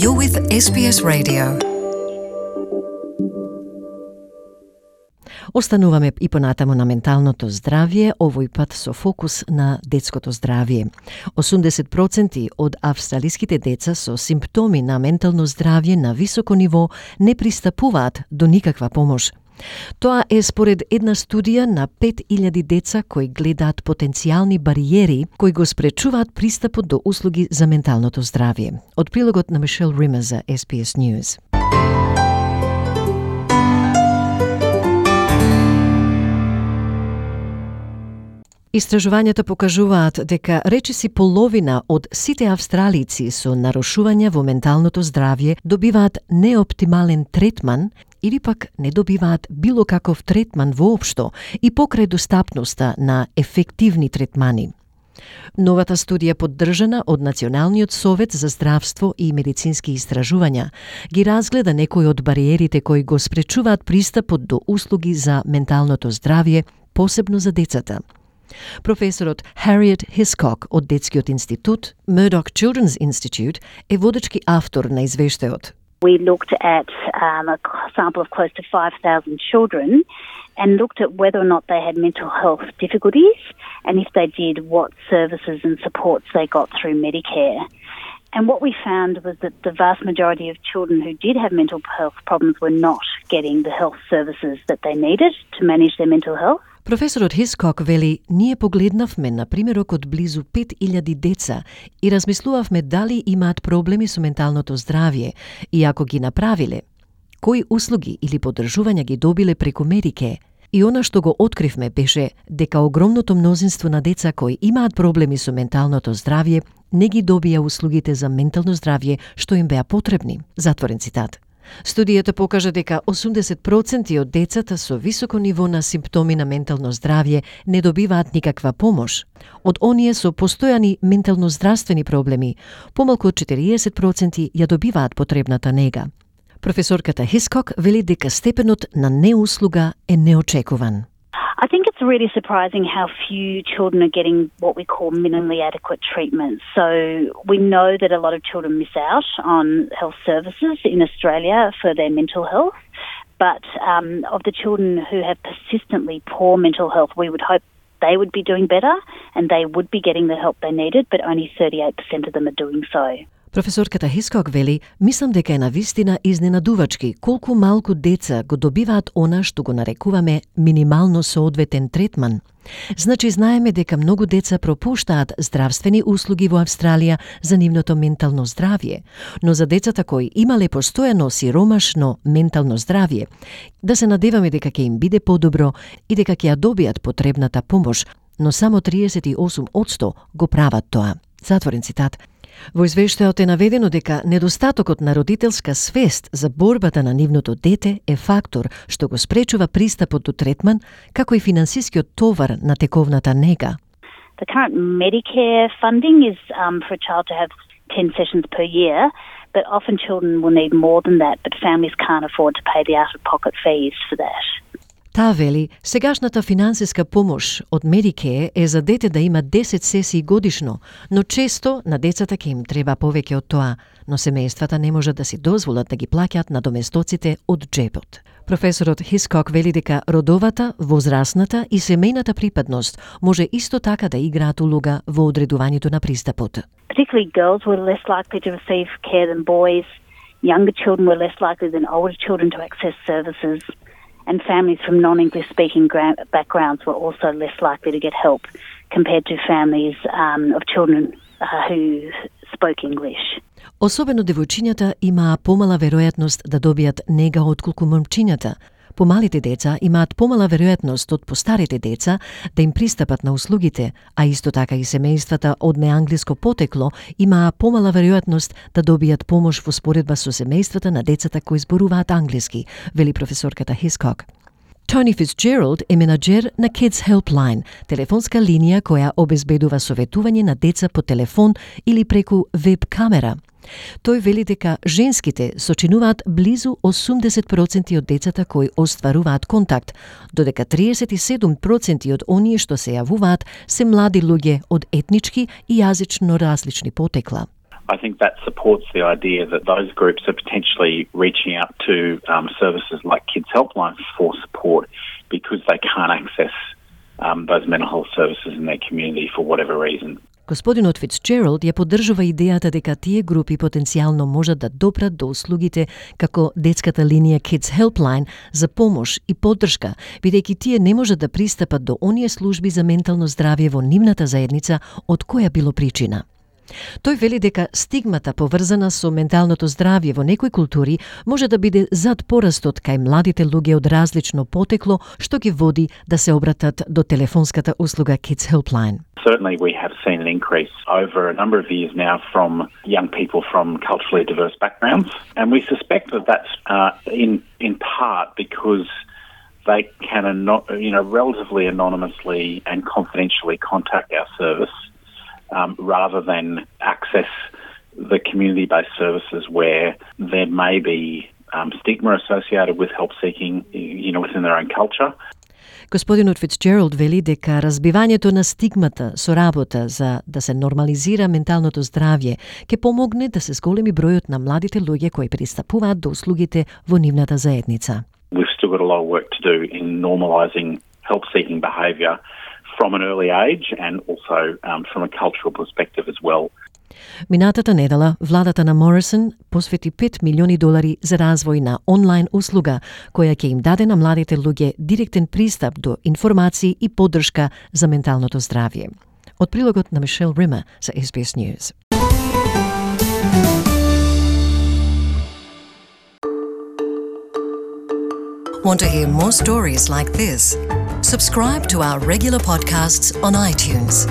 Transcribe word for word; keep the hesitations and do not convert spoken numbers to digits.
You're with S B S Radio. Остануваме и понатаму на менталното здравје, овој пат со фокус на детското здравје. осумдесет проценти од австралиските деца со симптоми на ментално здравје на високо ниво не пристапуваат до никаква помош. Тоа е според една студија на пет илјади деца кои гледаат потенцијални бариери кои го спречуваат пристапот до услуги за менталното здравје. Од прилогот на Мишел Рима за S B S News. Истражувањата покажуваат дека речиси половина од сите австралици со нарушувања во менталното здравје добиваат неоптимален третман или пак не добиваат било каков третман воопшто и покрај достапноста на ефективни третмани. Новата студија, поддржана од Националниот совет за здравство и медицински истражувања, ги разгледа некои од бариерите кои го спречуваат пристапот до услуги за менталното здравје, посебно за децата. Професорот Harriet Hiscock од Детскиот институт, Murdoch Children's Institute, е водечки автор на извештајот. We looked at um, a sample of close to five thousand children and looked at whether or not they had mental health difficulties, and if they did, what services and supports they got through Medicare. And what we found was that the vast majority of children who did have mental health problems were not getting the health services that they needed to manage their mental health. Професорот Хискок вели, ние погледнавме на примерок од близу пет илјади деца и размислувавме дали имаат проблеми со менталното здравје и ако ги направиле, кои услуги или поддржувања ги добиле преку Медике. И она што го откривме беше дека огромното мнозинство на деца кои имаат проблеми со менталното здравје не ги добија услугите за ментално здравје што им беа потребни. Затворен цитат. Студијата покажа дека осумдесет проценти од децата со високо ниво на симптоми на ментално здравје не добиваат никаква помош. Од оние со постојани ментално здравствени проблеми, помалку од четириесет проценти ја добиваат потребната нега. Професорката Хискок вели дека степенот на неуслуга е неочекуван. I think it's really surprising how few children are getting what we call minimally adequate treatment. So we know that a lot of children miss out on health services in Australia for their mental health, but um, of the children who have persistently poor mental health, we would hope they would be doing better and they would be getting the help they needed, but only thirty-eight percent of them are doing so. Професорката Хискок вели, мислам дека е навистина изненадувачки колку малку деца го добиваат она што го нарекуваме минимално соодветен третман. Значи знаеме дека многу деца пропуштаат здравствени услуги во Австралија за нивното ментално здравје, но за децата кои имале постојано сиромашно ментално здравје, да се надеваме дека ќе им биде подобро и дека ќе ја добијат потребната помош, но само триесет и осум одсто го прават тоа. Затворен цитат. Во извештајот е наведено дека недостатокот на родителска свест за борбата на нивното дете е фактор што го спречува пристапот до третман, како и финансискиот товар на тековната нега. The current Medicare funding is um, for a child to have ten sessions per year, but often children will need more than that, but families can't afford to pay the out-of-pocket fees for that. Таа вели, сегашната финансиска помош од Медике е за дете да има десет сесии годишно, но често на децата ќе им треба повеќе од тоа, но семејствата не можат да си дозволат да ги плаќаат надоместоците од джебот. Професорот Хискок вели дека родовата, возрастната и семејната припадност може исто така да играат улога во одредувањето на пристапот. Particularly girls were less likely to receive care than boys, younger children were less likely than older children to access services, and families from non-English speaking backgrounds were also less likely to get help compared to families um, of children uh, who spoke English. Особено девојчињата имаа помала веројатност да добијат нега отколку момчињата. Помалите деца имаат помала веројатност од постарите деца да им пристапат на услугите, а исто така и семејствата од неанглиско потекло имаа помала веројатност да добијат помош во споредба со семејствата на децата кои зборуваат англиски, вели професорката Хискок. Тони Фицджералд е менаџер на Kids Helpline, телефонска линија која обезбедува советување на деца по телефон или преку веб камера. Тој вели дека женските сочинуваат близу осумдесет проценти од децата кои остваруваат контакт, додека триесет и седум проценти од оние што се јавуваат се млади луѓе од етнички и јазично различни потекла. I think that supports the idea that those groups are potentially reaching out to um, services like Kids Helpline for support because they can't access um, those mental health services in their community for whatever reason. Господинот Фицджералд ја поддржува идејата дека тие групи потенцијално можат да допрат до услугите како детската линија Kids Helpline за помош и поддршка, бидејќи тие не можат да пристапат до оние служби за ментално здравје во нивната заедница од која било причина. Тој вели дека стигмата поврзана со менталното здравје во некои култури може да биде зад порастот кај младите луѓе од различно потекло, што ги води да се обратат до телефонската услуга Kids Helpline. Certainly we have seen an increase over a number of years now from young people from culturally diverse backgrounds, and we suspect that that's uh, in in part because they can you know relatively anonymously and confidentially contact our service um, rather than access the community-based services where there may be um, stigma associated with help seeking, you know, within their own culture. Господинот Фицджералд вели дека разбивањето на стигмата со работа за да се нормализира менталното здравје ќе помогне да се зголеми бројот на младите луѓе кои пристапуваат до услугите во нивната заедница. We've still got a lot of work to do in normalising help-seeking behaviour from an early age and also um, from a cultural perspective as well. Минатата недела, владата на Морисон посвети пет милиони долари за развој на онлайн услуга, која ќе им даде на младите луѓе директен пристап до информации и поддршка за менталното здравје. Од прилогот на Мишел Рима за S B S News. Want to hear more stories like this? Subscribe to our regular podcasts on iTunes.